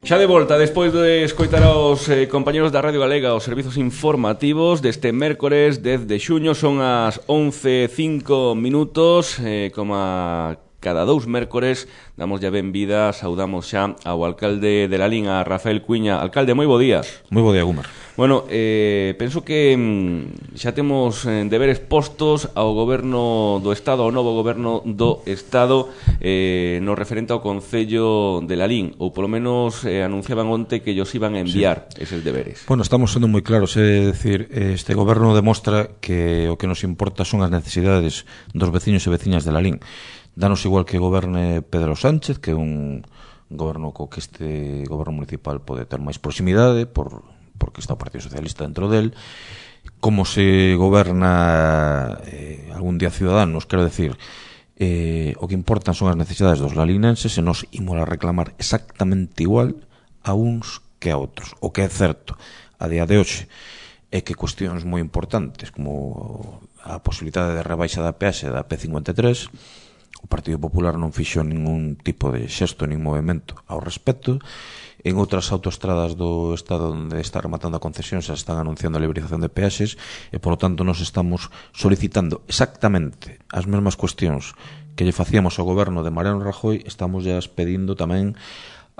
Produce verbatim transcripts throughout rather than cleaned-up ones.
Xa de volta, despois de escoitar aos eh, compañeros da Radio Galega os servizos informativos deste mércores dez de xuño, son as once e cinco minutos, eh, como a cada dous mércores damos ya benvida, saudamos xa ao alcalde de Lalín, a Rafael Cuiña. Alcalde, moi bo día. Moi bo día, Gumar. Bueno, eh, penso que mm, xa temos eh, deberes postos ao goberno do Estado, ao novo goberno do Estado, eh, no referente ao Concello de Lalín, ou polo menos eh, anunciaban onte que ellos iban a enviar sí. eses deberes. Bueno, estamos sendo moi claros, é dicir, este goberno demostra que o que nos importa son as necesidades dos veciños e veciñas de Lalín. Danos igual que goberne Pedro Sánchez, que é un goberno co que este goberno municipal pode ter máis proximidade, por... porque está o Partido Socialista dentro del, como se goberna eh, algún día Ciudadanos, quero decir, eh, o que importan son as necesidades dos lalinenses e nos imos a reclamar exactamente igual a uns que a outros. O que é certo a día de hoxe é que cuestións moi importantes como a posibilidade de rebaixa da peaxe da P cincuenta e tres, o Partido Popular non fixo ningún tipo de xesto nin movimento ao respecto. En outras autoestradas do Estado onde está rematando a concesión se están anunciando a liberalización de peaxes e, polo tanto, nos estamos solicitando exactamente as mesmas cuestións que lle facíamos ao goberno de Mariano Rajoy, estamos ya pedindo tamén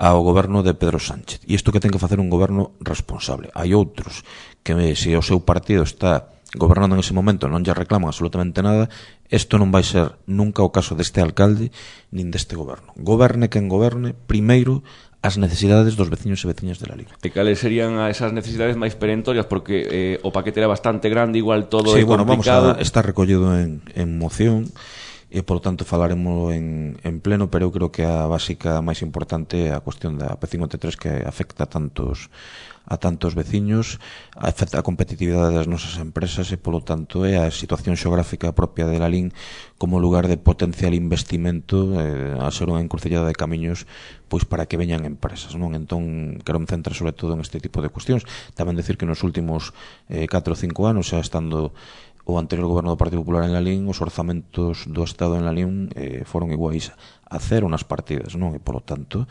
ao goberno de Pedro Sánchez. E isto que ten que facer un goberno responsable. Hai outros que, se o seu partido está gobernando en ese momento, non lle reclaman absolutamente nada, isto non vai ser nunca o caso deste alcalde nin deste goberno. Goberne quen goberne, primeiro as necesidades dos veciños e veciñas de Lalín. E cales serían esas necesidades máis perentorias? Porque eh, o paquete era bastante grande, igual todo sí, é bueno, complicado. Vamos a estar recollido en, en moción e, por tanto, falaremos en, en pleno, pero eu creo que a básica máis importante é a cuestión da P cincuenta e tres que afecta a tantos a tantos veciños, afecta a competitividade das nosas empresas e, polo tanto, é a situación xeográfica propia de Lalín como lugar de potencial investimento, eh, a ser unha encrucillada de camiños pois para que veñan empresas, non? Entón, quero me centrar sobre todo en este tipo de cuestións. Tamén decir que nos últimos eh, catro ou cinco anos, xa estando o anterior goberno do Partido Popular en Lalín, os orzamentos do Estado en Lalín eh, foron iguais a cero nas partidas, non? E, polo tanto,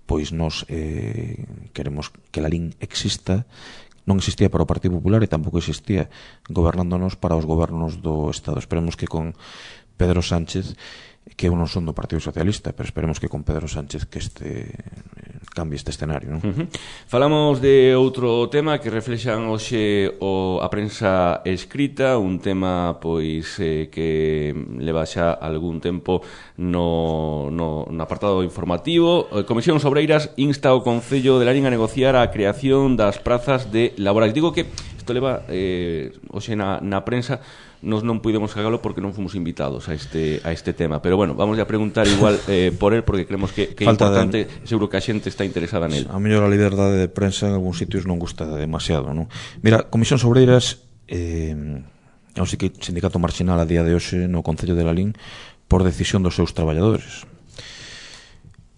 pois nos eh, queremos que Lalín exista, non existía para o Partido Popular e tampouco existía gobernándonos para os gobernos do Estado. Esperemos que con Pedro Sánchez, que eu non son do Partido Socialista, pero esperemos que con Pedro Sánchez que este cambie este escenario, non? Uh-huh. Falamos de outro tema que reflexan hoxe o, a prensa escrita, un tema pois eh, que leva xa algún tempo no, no, no apartado informativo. A Comisión Obreiras insta ao Concello de Lalín a negociar a creación das prazas de laborais. Digo que isto leva eh, hoxe na, na prensa. Nos non pudemos cagalo porque non fomos invitados a este a este tema, pero bueno, vamos a preguntar igual eh, por él porque creemos que, que é importante, de... seguro que a xente está interesada nel. A mellor a liberdade de prensa en algúns sitios non gusta demasiado, non? Mira, Comisión Obreiras eh, é un sindicato marxinal a día de hoxe no Concello de Lalín por decisión dos seus traballadores.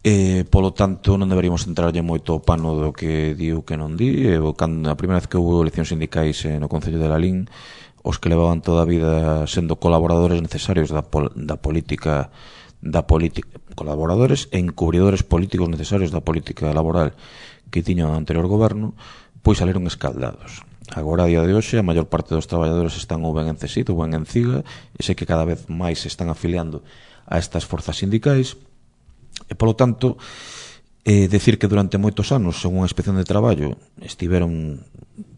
E, polo tanto, non deberíamos entrarlle moito o pano do que di ou que non di. E, cando, a primeira vez que houve eleccións sindicais eh, no Concello de Lalín, os que levaban toda a vida sendo colaboradores necesarios da, pol, da política da política, colaboradores e encubridores políticos necesarios da política laboral que tiña o anterior goberno, pois saleron escaldados. Agora, a día de hoxe, a maior parte dos traballadores están ou ben en C E S I T ou ben en C I G A, e sei que cada vez máis se están afiliando a estas forzas sindicais, e, polo tanto, eh, decir que durante moitos anos, según a Inspección de Traballo, estiveron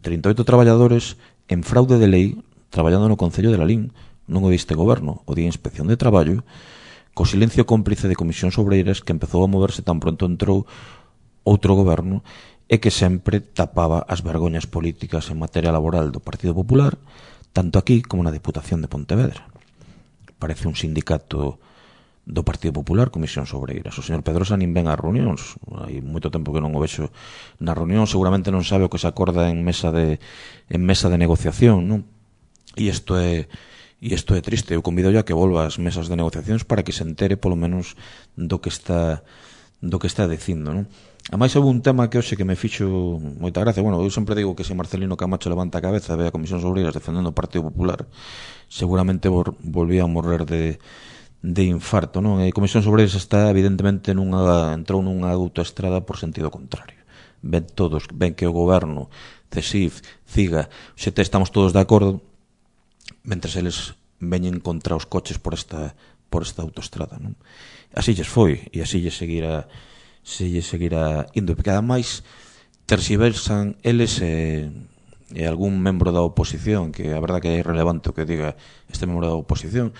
trinta e oito traballadores en fraude de lei traballando no Concello de Lalín, non o diste goberno, o día Inspección de Traballo, co silencio cómplice de Comisións Obreiras que empezou a moverse tan pronto entrou outro goberno e que sempre tapaba as vergoñas políticas en materia laboral do Partido Popular, tanto aquí como na Deputación de Pontevedra. Parece un sindicato do Partido Popular, Comisións Obreiras. O señor Pedrosa nin ven ás reunións, hai moito tempo que non o vexo na reunión, seguramente non sabe o que se acorda en mesa de en mesa de negociación, non? E isto é e isto é triste. Eu convido a que volva ás mesas de negociacións para que se entere polo menos do que está do que está dicindo, non? A máis houve un tema que hoxe que me fixo moita gracia. Bueno, eu sempre digo que se Marcelino Camacho levanta a cabeza e ve a Comisións Obreiras defendendo o Partido Popular, seguramente vol, volvía a morrer de de infarto, non? A Comisións Obreiras está evidentemente nunha entrou nunha autoestrada por sentido contrario. ven todos, ven que o goberno, CESIF, CIGA, xe te estamos todos de acordo, mentres eles veñen contra os coches por esta por esta autoestrada, non? Así lles foi, e así lles seguirá se lles seguirá indo, porque ademais terxiversan eles e, e algún membro da oposición, que a verdad que é irrelevante o que diga este membro da oposición,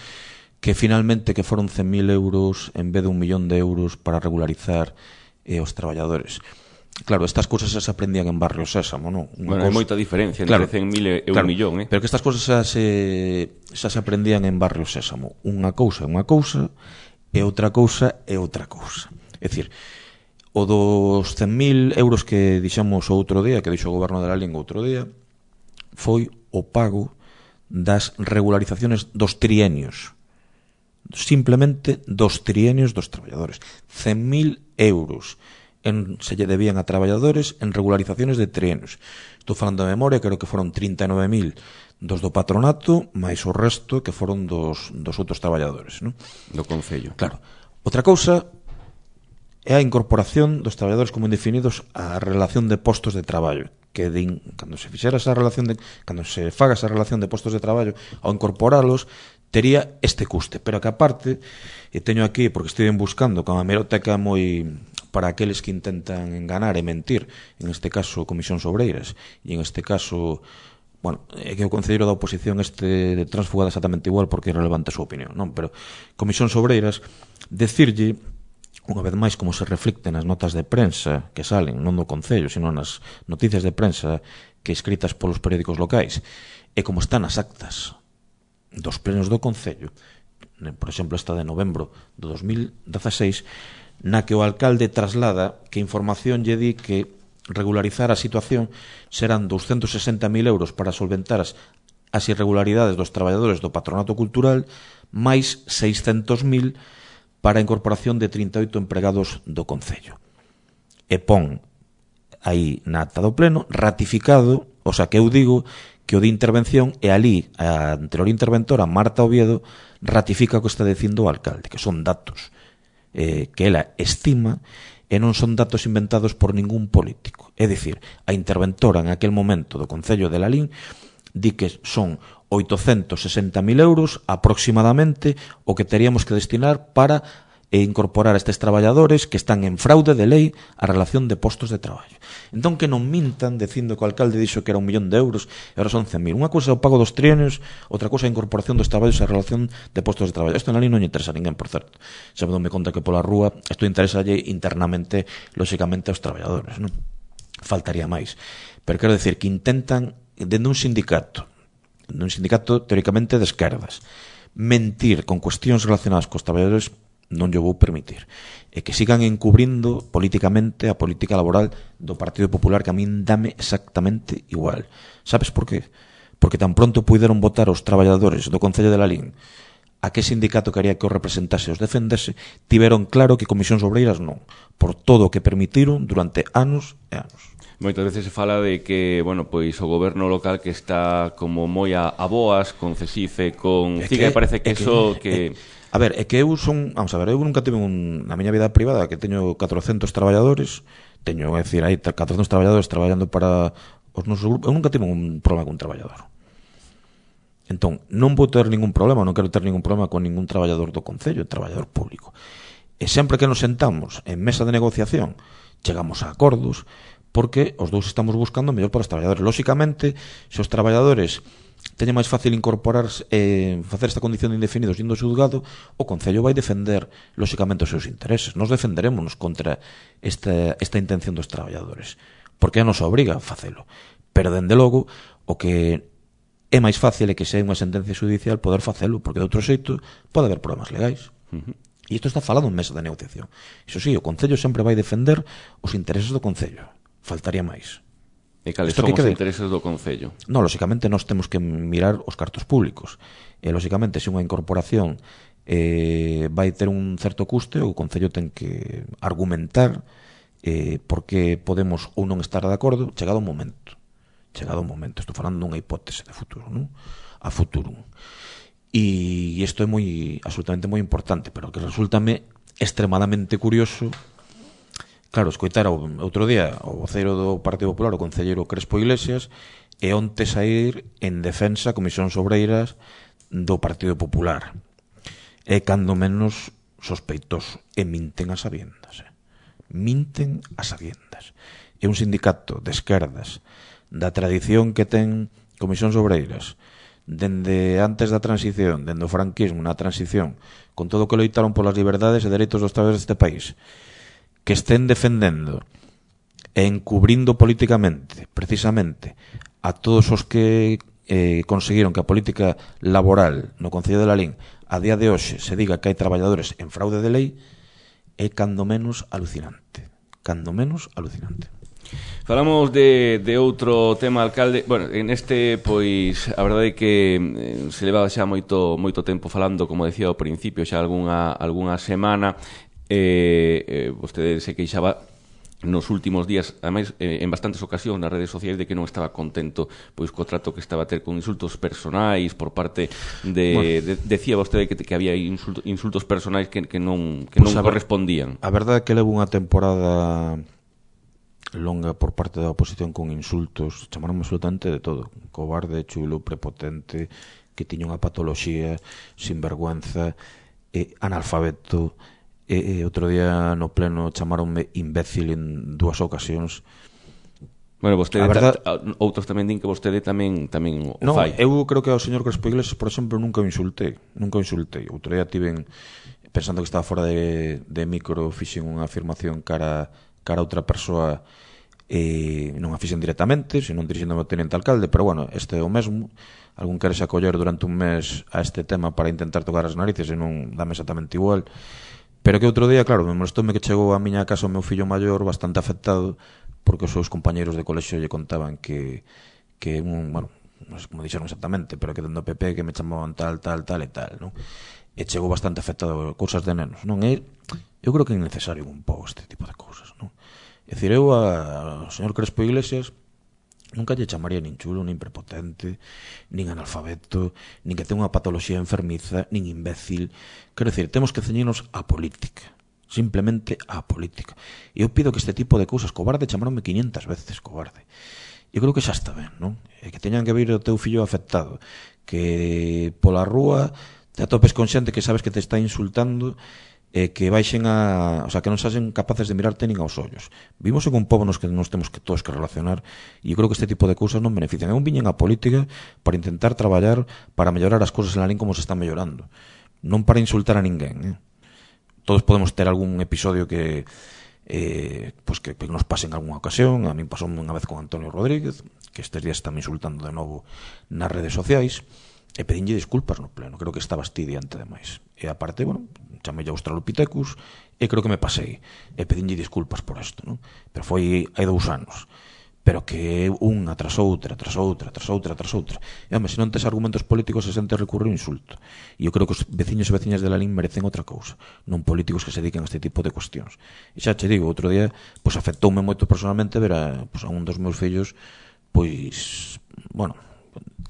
que finalmente que foron cen mil euros en vez de un millón de euros para regularizar eh, os traballadores. Claro, estas cousas xa se aprendían en Barrio Sésamo, non? Bueno, hai moita diferencia entre claro, cen mil e claro, un millón, eh? Pero que estas cousas xa se, xa se aprendían en Barrio Sésamo. Unha cousa é unha cousa e outra cousa é outra cousa. É dicir, o dos cen mil euros que dixamos o outro día, que dixo o goberno de la Lingua outro día, foi o pago das regularizaciones dos trienios. Simplemente dos trienios dos traballadores. cen mil euros en, se lle debían a traballadores en regularizaciones de trienios. Estou falando de memoria, creo que foron trinta e nove mil dos do patronato, máis o resto que foron dos, dos outros traballadores, non? Do Concello. Claro. Outra cousa é a incorporación dos traballadores como indefinidos á relación de postos de traballo, que din, cando se fixera esa relación de, cando se faga esa relación de postos de traballo, ao incorporalos tería este custe, pero que aparte, e teño aquí, porque estive buscando con a hemeroteca moi para aqueles que intentan enganar e mentir, en este caso Comisións Obreiras, e en este caso, bueno, é que o concelleiro da oposición este transfugada exactamente igual porque é relevante a súa opinión, non? Pero Comisións Obreiras, decirlle, unha vez máis, como se reflicte nas notas de prensa que salen, non do Concello, sino nas noticias de prensa que escritas polos periódicos locais, e como están as actas dos plenos do Concello, por exemplo, esta de novembro do dos mil dezaseis, na que o alcalde traslada que información lle di que regularizar a situación serán doscientos sesenta mil euros para solventar as, as irregularidades dos traballadores do patronato cultural, máis seiscentos mil para a incorporación de trinta e oito empregados do Concello. E pon aí na acta do pleno ratificado, o sea que eu digo que o de intervención e ali a anterior interventora Marta Oviedo ratifica o que está dicindo o alcalde, que son datos eh, que ela estima e non son datos inventados por ningún político. É dicir, a interventora en aquel momento do Concello de Lalín di que son oitocentos sesenta mil euros aproximadamente o que teríamos que destinar para e incorporar a estes traballadores que están en fraude de lei a relación de postos de traballo. Entón que non mintan dicindo que o alcalde dixo que era un millón de euros e agora son cen mil. Unha cousa é o pago dos trienios, outra cousa é a incorporación dos traballos a relación de postos de traballo. Isto na lei non lle interesa a ninguén, por certo. Se me dou conta que pola rúa isto interesa internamente, lóxicamente, aos traballadores, non? Faltaría máis. Pero quero decir que intentan, dende un sindicato, dende un sindicato teóricamente de esquerdas, mentir con cuestións relacionadas cos traballadores non lle vou permitir. E que sigan encubrindo políticamente a política laboral do Partido Popular, que a min dame exactamente igual. Sabes por qué? Porque tan pronto puideron votar os traballadores do Concello de Lalín a que sindicato quería que os representase e os defendese, tiveron claro que Comisións Obreiras non, por todo o que permitiron durante anos e anos. Moitas veces se fala de que, bueno, pois o goberno local que está como moi a, a boas con CESIFE, con CIGA, e parece que eso que... que A ver, é que eu son, vamos a ver, eu nunca tive un, na miña vida privada que teño catrocentos traballadores, teño, é dicir, hai catrocentos traballadores traballando para os nosos grupos, eu nunca tive un problema con un traballador. Entón, non vou ter ningún problema, non quero ter ningún problema con ningún traballador do Concello, traballador público. E sempre que nos sentamos en mesa de negociación, chegamos a acordos, porque os dous estamos buscando o mellor para os traballadores. Lóxicamente, se os traballadores teña máis fácil incorporarse eh, facer esta condición de indefinidos indo ao xulgado, o Concello vai defender lóxicamente os seus intereses. Nos defenderémonos contra esta, esta intención dos traballadores, porque a nos obriga a facelo. Pero, dende logo, o que é máis fácil é que se hai unha sentencia judicial poder facelo, porque de outro xeito pode haber problemas legais. Uh-huh. E isto está falado en mesa de negociación. Iso sí, o Concello sempre vai defender os intereses do Concello. Faltaría máis. E cales son os intereses do Concello? Non, lóxicamente nós temos que mirar os cartos públicos. E, lóxicamente, se unha incorporación eh, vai ter un certo custe, o Concello ten que argumentar eh, por que podemos ou non estar de acordo chegado o momento. Chegado o momento. Estou falando dunha hipótese de futuro, non? A futuro. E isto é moi, absolutamente moi importante, pero que resultame extremadamente curioso Claro, escoitara outro día o voceiro do Partido Popular, o concelleiro Crespo Iglesias, e onte sair en defensa a Comisións Obreiras do Partido Popular. É cando menos sospeitoso. E minten as sabiendas. Eh? Minten as sabiendas. É un sindicato de esquerdas da tradición que ten Comisións Obreiras dende antes da transición, dende o franquismo na transición, con todo o que loitaron polas liberdades e dereitos dos traballadores deste país, que estén defendendo e encubrindo políticamente, precisamente, a todos os que eh, conseguiron que a política laboral no Concello de Lalín a día de hoxe se diga que hai traballadores en fraude de lei, é cando menos alucinante. Cando menos alucinante. Falamos de, de outro tema, alcalde. Bueno, en este, pois, a verdade é que eh, se levaba xa moito moito tempo falando, como decía ao principio, xa algunha, algunha semana. Eh, eh, vostede se queixaba nos últimos días, ademais, eh, en bastantes ocasións nas redes sociais, de que non estaba contento pois co trato que estaba a ter con insultos personais por parte de... Bueno, de decía vostede que, que había insulto, insultos personais que, que non, que pues non a correspondían. A verdade é que levo unha temporada longa por parte da oposición con insultos, chamaron absolutamente de todo, cobarde, chulo, prepotente, que tiña unha patoloxía, sinvergüenza, eh, analfabeto, e eh, outro día no pleno chamaronme imbécil en dúas ocasións. Bueno, vostede, verdad, ta, outros tamén din que vostede tamén tamén o no, fai. Eu creo que ao señor Crespo Iglesias, por exemplo, nunca o insultei, nunca o insultei. Outro día tiven, pensando que estaba fora de, de micro, fixen unha afirmación cara cara a outra persoa, e non a fixen directamente, senón dirixéndome ao teniente alcalde, pero bueno, este é o mesmo. Algún quere se acoller durante un mes a este tema para intentar tocar as narices e non dame exactamente igual. Pero que outro día, claro, me molestoume que chegou a miña casa o meu fillo maior bastante afectado porque os seus compañeros de colexio lle contaban que, que un, bueno, non sei como dixeron exactamente, pero que dentro do P P que me chamaban tal, tal, tal e tal, non? E chegou bastante afectado cousas de nenos, non é? Eu creo que é necesario un pouco este tipo de cousas, non? É dicir, eu ao señor Crespo Iglesias nunca lle chamaría nin chulo, nin prepotente, nin analfabeto, nin que ten unha patoloxía enfermiza, nin imbécil. Quero dicir, temos que ceñirnos á política, simplemente á política. E eu pido que este tipo de cousas, cobarde, chamaronme quinientas veces cobarde. Eu creo que xa está ben, non? E que teñan que vir o teu fillo afectado, que pola rúa te atopes con xente que sabes que te está insultando, e que baixen a, o sea, que non saxen capaces de mirarte nin aos ollos. Vimos en un pobo nos que nos temos que todos que relacionar, e eu creo que este tipo de cousas non benefician. Eu viñen a política para intentar traballar para mellorar as cousas en Lalín como se están mellorando, non para insultar a ninguén, eh? Todos podemos ter algún episodio que eh, pues que, que nos pase en algunha ocasión. A mí pasou unha vez con Antonio Rodríguez, que estes días está me insultando de novo nas redes sociais, e pedinlle disculpas no pleno. Creo que está bastidiante demais. E aparte, bueno, chamei a Australopithecus e creo que me pasei. E pedinlle disculpas por isto, non? Pero foi hai dous anos. Pero que unha tras outra, tras outra, tras outra, tras outra. E, home, se non tes argumentos políticos, se sente recurrir o insulto. E eu creo que os veciños e veciñas de Lalín merecen outra cousa, non políticos que se dediquen a este tipo de cuestións. E xa che digo, outro día, pois afectoume moito personalmente ver a, pois, a un dos meus fillos, pois, bueno,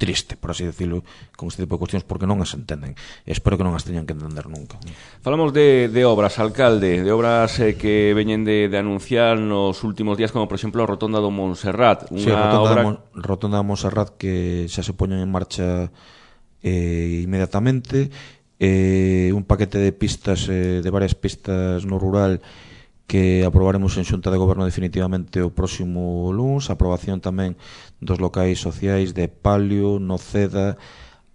triste, por así decirlo, con este tipo de cuestións, porque non as entenden. E espero que non as teñan que entender nunca. Falamos de, de obras, alcalde, de obras eh, que veñen de, de anunciar nos últimos días, como por exemplo a Rotonda do Montserrat. Unha sí, a Rotonda, obra... Mon, Rotonda do Montserrat, que xa se poñen en marcha eh, inmediatamente, eh, un paquete de pistas, eh, de varias pistas no rural, que aprobaremos en Xunta de Goberno definitivamente o próximo luns. A aprobación tamén dos locais sociais de Palio, Noceda,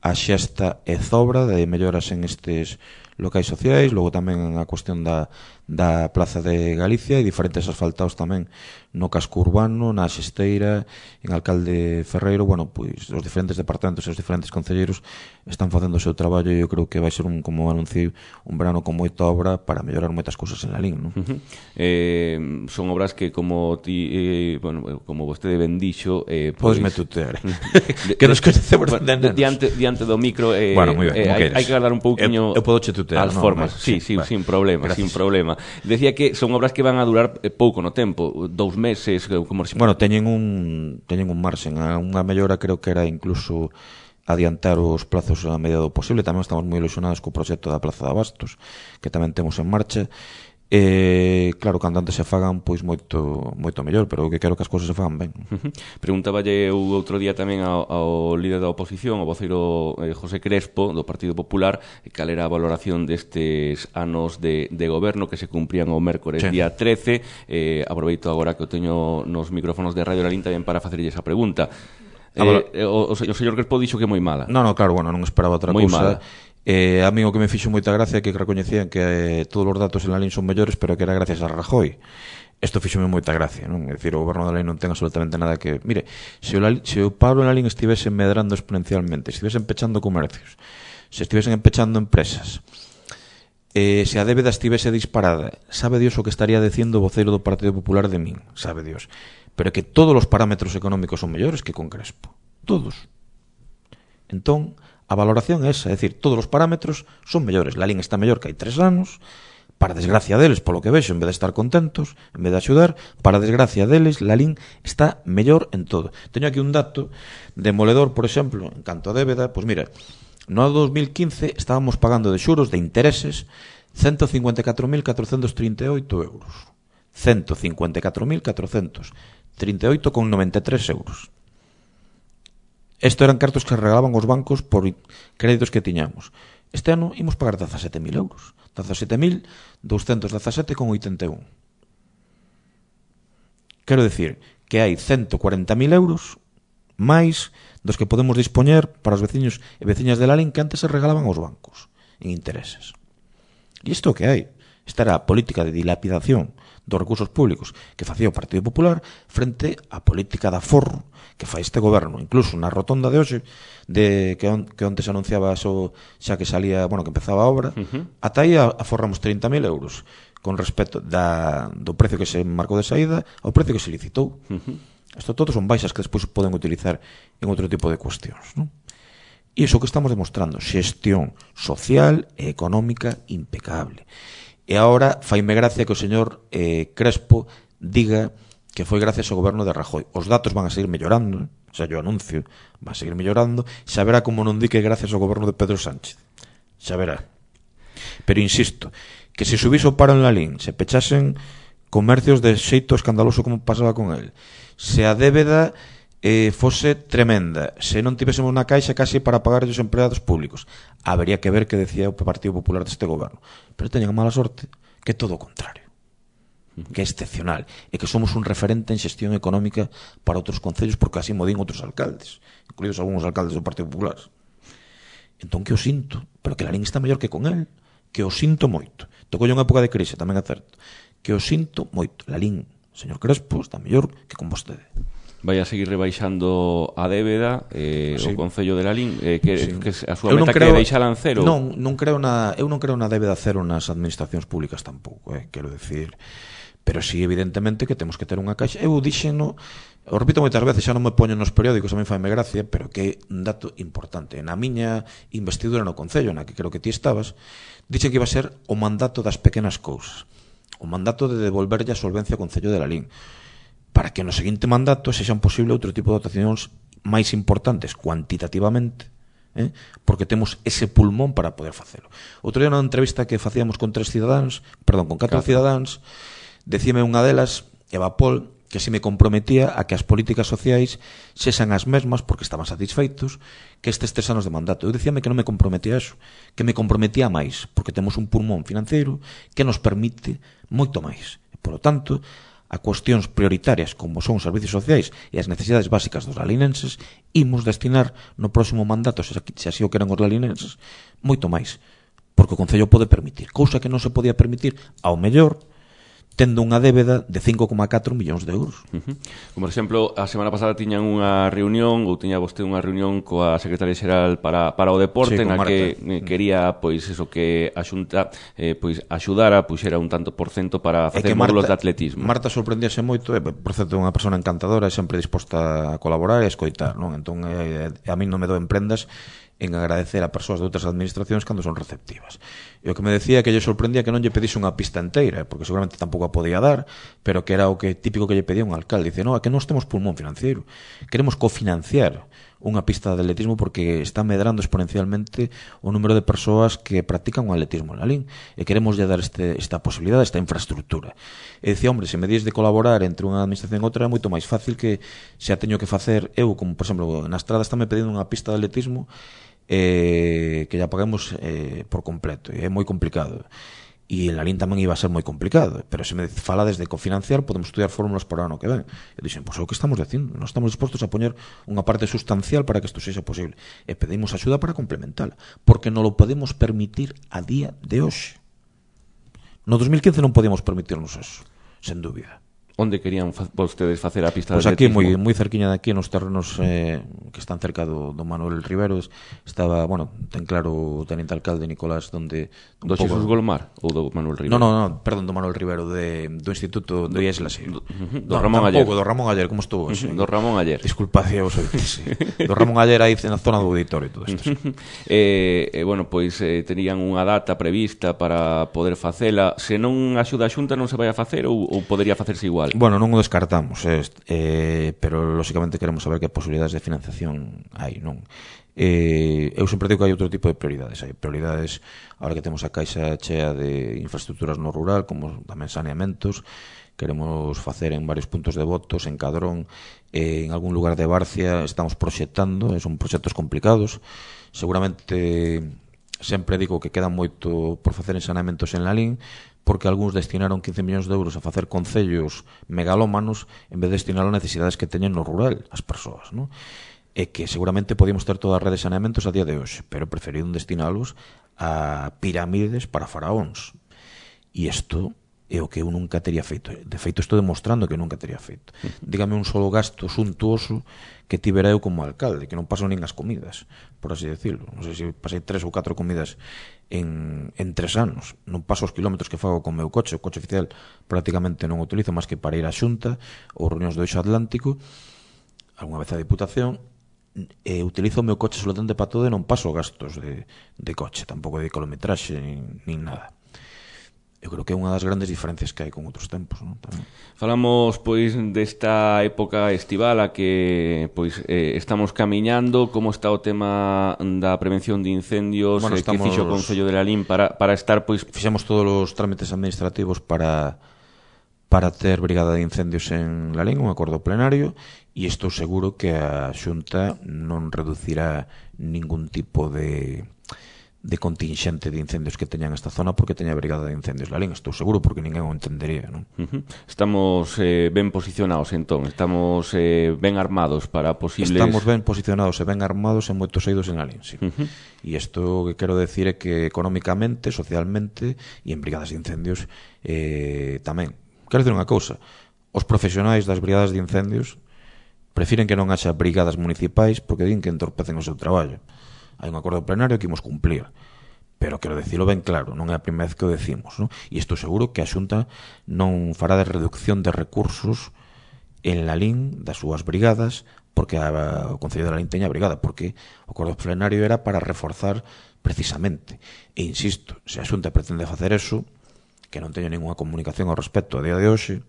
a Xesta e Zobra, de melloras en estes locais sociais. Logo tamén a cuestión da, da Plaza de Galicia e diferentes asfaltados tamén no casco urbano, na Xesteira, en Alcalde Ferreiro. Bueno, pois os diferentes departamentos e os diferentes concelleiros están facendo o seu traballo, e eu creo que vai ser un, como anuncio, un verano con moita obra para mellorar moitas cousas en Lalín, non? Uh-huh. eh, son obras que, como ti, eh, bueno, como vostede ben dixo, eh, pois me tutear que nos coñecemos bueno, de nenos. diante, diante do micro, eh, bueno, moi ben, eh, hai, hai que dar un pouquiño eu, eu podo che tutear, as no, formas, no, sí, sí, sí, sin problema, gracias. Sin problema. Decía que son obras que van a durar pouco no tempo, dous meses, como se... Bueno, teñen un teñen un marxen, a unha mellora creo que era incluso adiantar os plazos a medida do posible. Tamén estamos moi ilusionados co proxecto da Plaza de Abastos, que tamén temos en marcha, E, claro, cando antes se fagan, pois moito moito mellor, pero o que quero que as cousas se fagan ben. Uh-huh. Preguntáballe eu outro día tamén ao, ao líder da oposición, ao voceiro eh, José Crespo, do Partido Popular, cal era a valoración destes anos de, de goberno que se cumprían o mércores sí. día trece. Eh, aproveito agora que o teño nos micrófonos de Radio Lalín tamén para facerlle esa pregunta. Eh, o, o, o señor Crespo dixo que é moi mala. No, no, claro, bueno, non esperaba outra moi cousa. Mala. Eh, a mí o que me fixo moita gracia é que recoñecían que eh, todos os datos en Lalín son mellores, pero que era gracias a Rajoy. Isto fixome moita gracia, non? É dicir, o goberno de Lalín non ten absolutamente nada que... Mire, se o, Lalín, se o paro en Lalín estivese medrando exponencialmente, se estivesen pechando comercios, se estivesen pechando empresas, eh, se a débeda estivese disparada, sabe Dios o que estaría dicindo o voceiro do Partido Popular de min, sabe Dios. Pero que todos os parámetros económicos son mellores que con Crespo. Todos. Entón, a valoración é esa, é dicir, todos os parámetros son mellores. Lalín está mellor que hai tres anos, para desgracia deles, polo que vexo, en vez de estar contentos, en vez de axudar, para desgracia deles, Lalín está mellor en todo. Teño aquí un dato demoledor, por exemplo, en canto a débeda, pois mira, no dos mil quince estábamos pagando de xuros, de intereses, ciento cincuenta e catro mil catrocentos trinta e oito euros. ciento cincuenta e catro mil catrocentos trinta e oito con noventa e tres euros. Isto eran cartos que regalaban os bancos por créditos que tiñamos. Este ano imos pagar dezasete mil euros. dezasete mil douscentos dezasete con oitenta e un. Quero decir que hai ciento cuarenta mil euros máis dos que podemos dispoñer para os veciños e veciñas de Lalín que antes se regalaban aos bancos en intereses. E isto que hai? Esta era a política de dilapidación dos recursos públicos que facía o Partido Popular frente á política de aforro que fai este goberno. Incluso na rotonda de hoxe, de que, on, que onte se anunciaba eso, xa que salía, bueno, que empezaba a obra, uh-huh. ata aí aforramos trinta mil euros con respecto da, do precio que se marcou de saída ao precio que se licitou. Uh-huh. Isto todos son baixas que despois poden utilizar en outro tipo de cuestións, non? E iso que estamos demostrando, xestión social e económica impecable. E agora faime gracia que o señor eh, Crespo diga que foi gracias ao goberno de Rajoy. Os datos van a seguir mellorando, xa yo anuncio, van a seguir mellorando, xa verá como non di que gracias ao goberno de Pedro Sánchez. Xa verá. Pero insisto, que se subise o paro en Lalín, se pechasen comercios de xeito escandaloso como pasaba con el, se a débeda eh, fose tremenda, se non tivésemos na caixa casi para pagar os empleados públicos, habería que ver que decía o Partido Popular deste goberno. Pero teñen a mala sorte que é todo o contrario, que é excepcional, e que somos un referente en xestión económica para outros concellos, porque así mo din outros alcaldes, incluídos algúns alcaldes do Partido Popular. Entón que o sinto, pero que Lalín está mellor que con el, que o sinto moito. Tocou unha época de crise, tamén é certo, que o sinto moito. Lalín, señor Crespo, está mellor que con vostede. Vai a seguir rebaixando a débeda eh, sí. o Concello de Lalín eh, que, sí. que a súa eu meta creo, que deixala en cero. Non, non creo na, eu non creo na débeda cero nas administracións públicas tampouco, eh, quero decir, pero sí evidentemente que temos que ter unha caixa. Eu dixeno, o repito moitas veces, xa non me poño nos periódicos, a mí faime gracia, pero que é un dato importante. Na miña investidura no Concello, na que creo que ti estabas, dixen que iba a ser o mandato das pequenas cousas, o mandato de devolverlle a solvencia ao Concello de Lalín, para que no seguinte mandato sexan posible outro tipo de dotacións máis importantes cuantitativamente, eh? porque temos ese pulmón para poder facelo. Outro día na entrevista que facíamos con tres cidadáns, perdón, con catro claro. cidadáns, decime unha delas, Eva Pol, que se me comprometía a que as políticas sociais sexan as mesmas, porque estaban satisfeitos, que estes tres anos de mandato. Eu dicíame que non me comprometía a eso, que me comprometía máis, porque temos un pulmón financiero que nos permite moito máis. E, por lo tanto, a cuestións prioritarias como son os servicios sociais e as necesidades básicas dos lalinenses, imos destinar no próximo mandato, se así o queren os lalinenses, moito máis, porque o Concello pode permitir, cousa que non se podía permitir ao mellor tendo unha débeda de cinco coma catro millóns de euros. Uh-huh. Como, por exemplo, a semana pasada tiñan unha reunión, ou tiña vostede unha reunión coa Secretaria Xeral para, para o Deporte, sí, na Marta. que eh, quería, pois, eso, que a Xunta eh, pois, axudara, puxera un tanto por cento para facer módulos de atletismo. Marta sorprendíase moito, e, por certo, é unha persona encantadora, e sempre disposta a colaborar e a escoitar, non? Entón, eh, a mí non me doen prendas en agradecer a persoas de outras administracións cando son receptivas. E o que me decía que lle sorprendía que non lle pedise unha pista inteira, porque seguramente tampouco a podía dar, pero que era o que típico que lle pedía un alcalde. Dice, no, é que non temos pulmón financiero, queremos cofinanciar unha pista de atletismo porque está medrando exponencialmente o número de persoas que practican o atletismo en Lalín e queremos lle dar este, esta posibilidade, esta infraestructura. E dicía, hombre, se me dis de colaborar entre unha administración e outra é moito máis fácil que se a teño que facer eu, como por exemplo na Estrada está me pedindo unha pista de atletismo eh, que ya paguemos eh, por completo, e é moi complicado. E en Lalín tamén iba a ser moi complicado, pero se me fala desde cofinanciar podemos estudiar fórmulas para o ano que ven. E dixen, pois é o que estamos dicindo, nós estamos dispostos a poñer unha parte sustancial para que isto sexa posible e pedimos axuda para complementala, porque non lo podemos permitir a día de hoxe. No dos mil quince non podíamos permitirnos eso, sen dúbida. Onde querían fa vostedes facer a pista Pois de aquí, atletismo? moi, moi cerquiña de aquí, nos terrenos eh, que están cerca do, do Manuel Rivero, estaba, bueno, ten claro o teniente alcalde Nicolás, donde... Do Xesús Golmar ou do Manuel Rivero? No, no, no, perdón, do Manuel Rivero, de, do Instituto de Islas. Do, do no, Ramón Aller. Do Ramón Aller, como estuvo? Uh -huh, do Ramón Aller. Disculpad, vos oítes, sí. Do Ramón Aller aí na zona do auditorio e todo isto. Sí. eh, eh, bueno, pois eh, terían unha data prevista para poder facela. Se non axuda a Xunta non se vai a facer ou, ou podería facerse igual? Bueno, non o descartamos, eh, eh, pero lógicamente queremos saber que posibilidades de financiación hai, non? Eh, eu sempre digo que hai outro tipo de prioridades. Hai prioridades, ahora que temos a caixa chea de infraestructuras no rural, como tamén saneamentos, queremos facer en varios puntos de votos, en Cadrón, eh, en algún lugar de Barcia, estamos proxectando, eh, son proxectos complicados, seguramente sempre digo que queda moito por facer en saneamentos en Lalín, porque algúns destinaron quince millóns de euros a facer concellos megalómanos en vez de destinar a necesidades que teñen no rural as persoas, non? E que seguramente podíamos ter toda a rede de saneamentos a día de hoxe, pero preferiron destinalos a pirámides para faraóns. E isto é o que eu nunca teria feito. De feito, estou demostrando que nunca teria feito. Dígame un solo gasto suntuoso que tivera eu como alcalde, que non paso nin as comidas, por así decirlo. Non sei se pasei tres ou catro comidas en, en tres anos. Non paso os kilómetros que fago con o meu coche. O coche oficial prácticamente non o utilizo máis que para ir á Xunta ou reunións do Eixo Atlántico, algunha vez a Diputación, e utilizo o meu coche solamente para todo e non paso gastos de, de coche, tampouco de kilometraxe nin, nin nada. Eu creo que é unha das grandes diferencias que hai con outros tempos, non? Tamén. Falamos pois desta época estival a que pois eh, estamos camiñando, como está o tema da prevención de incendios, bueno, eh, estamos... que fixo o Concello de Lalín para, para estar pois... Fixemos todos os trámites administrativos para para ter brigada de incendios en Lalín, un acordo plenario, e estou seguro que a Xunta non reducirá ningún tipo de de contingente de incendios que teñan esta zona porque teña a brigada de incendios Lalín, estou seguro, porque ninguén o entendería, non? Uh-huh. Estamos eh, ben posicionados, entón, estamos eh, ben armados para posibles... Estamos ben posicionados e ben armados en moitos eidos en Lalín, sí. Uh-huh. E isto que quero decir é que económicamente, socialmente e en brigadas de incendios eh, tamén. Quero dicir unha cousa, os profesionais das brigadas de incendios prefiren que non haxa brigadas municipais porque din que entorpecen o seu traballo. Hai un acordo plenario que imos cumplir, pero quero dicilo ben claro, non é a primeira vez que o decimos, non? E estou seguro que a Xunta non fará de reducción de recursos en Lalín das súas brigadas porque a, o Concello de Lalín teña brigada, porque o acordo plenario era para reforzar precisamente. E insisto, se a Xunta pretende facer eso, que non teño ninguna comunicación ao respecto a día de hoxe,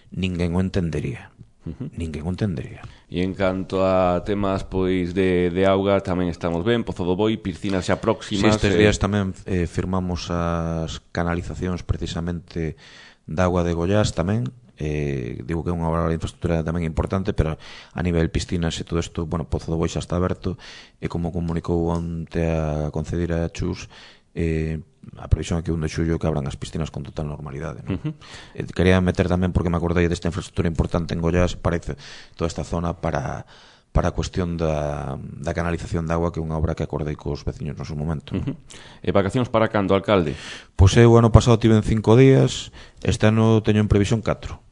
ninguén o entendería. Uh-huh. Ninguén o entendería. E en canto a temas pois de, de auga tamén estamos ben, Pozo do Boi, piscinas xa próximas. Si, estes días eh... tamén eh, firmamos as canalizacións precisamente da auga de Goiás tamén, eh, digo que é unha obra de infraestructura tamén importante, pero a nivel piscinas e todo isto, bueno, Pozo do Boi xa está aberto e como comunicou onte a concedira Chus, eh, a previsión é que un de xullo que abran as piscinas con total normalidade, non? Uh-huh. eh, quería meter tamén porque me acordei desta infraestructura importante en Goiás, parece toda esta zona para para a cuestión da, da canalización de agua, que é unha obra que acordei cos veciños no seu momento. Uh-huh. E vacacións para cando, alcalde? Pois eu ano pasado tive en cinco días, este ano teño en previsión catro.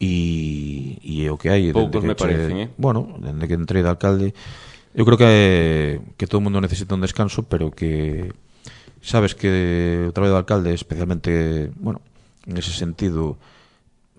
E, e é o que hai. Poucos me che, parecen, eh? Bueno, dende que entrei de alcalde, eu creo que que todo o mundo necesita un descanso, pero que sabes que o traballo do alcalde, especialmente, bueno, en ese sentido,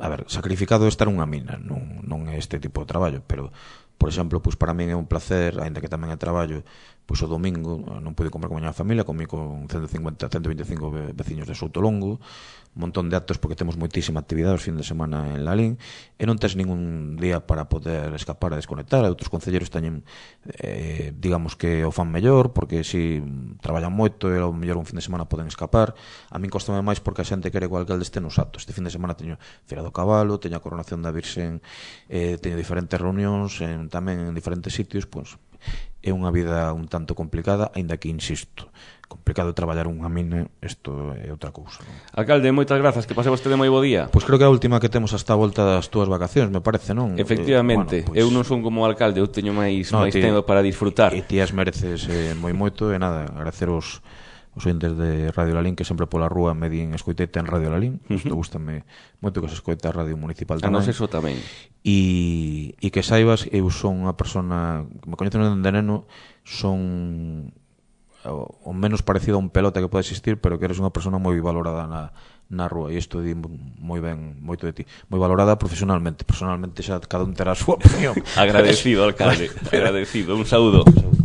a ver, sacrificado é estar unha mina, non, non é este tipo de traballo, pero, por exemplo, pois para min é un placer, aínda que tamén é traballo, pois o domingo non pude comer con a miña familia, comí con ciento cincuenta, ciento veinticinco veciños de Soutolongo, un montón de actos porque temos moitísima actividade os fin de semana en Lalín e non tes ningún día para poder escapar a desconectar. Outros concelleiros teñen eh, digamos que o fan mellor porque si traballan moito e ao mellor un fin de semana poden escapar. A min costame máis porque a xente quere igual que alde este nos actos. Este fin de semana teño Feira do Cabalo, teño a coronación da Virxen, eh, teño diferentes reunións en, tamén en diferentes sitios. Pois é unha vida un tanto complicada, aínda que insisto, complicado traballar unha mina, isto é outra cousa, non? Alcalde, moitas grazas, que pase vostede moi bo día. Pois creo que é a última que temos hasta a volta das túas vacacións, me parece, non? Efectivamente, eh, bueno, pois, eu non son como alcalde, eu teño máis no, máis ti, tempo para disfrutar. E ti as mereces eh, moi moito, e nada, agradecer os os ointes de Radio Lalín que sempre pola rúa me din escoitete en Radio Lalín. Uh -huh. Isto gustame moito que se escoite a Radio Municipal tamén. A nos eso tamén. E, e que saibas, eu son unha persona que me coñecen dende neno, son o menos parecido a un pelota que pode existir, pero que eres unha persona moi valorada na, na rúa, e isto di moi ben moito de ti, moi valorada profesionalmente. Personalmente xa cada un terá a súa opinión. Agradecido, alcalde, agradecido. Un saúdo. Un saúdo.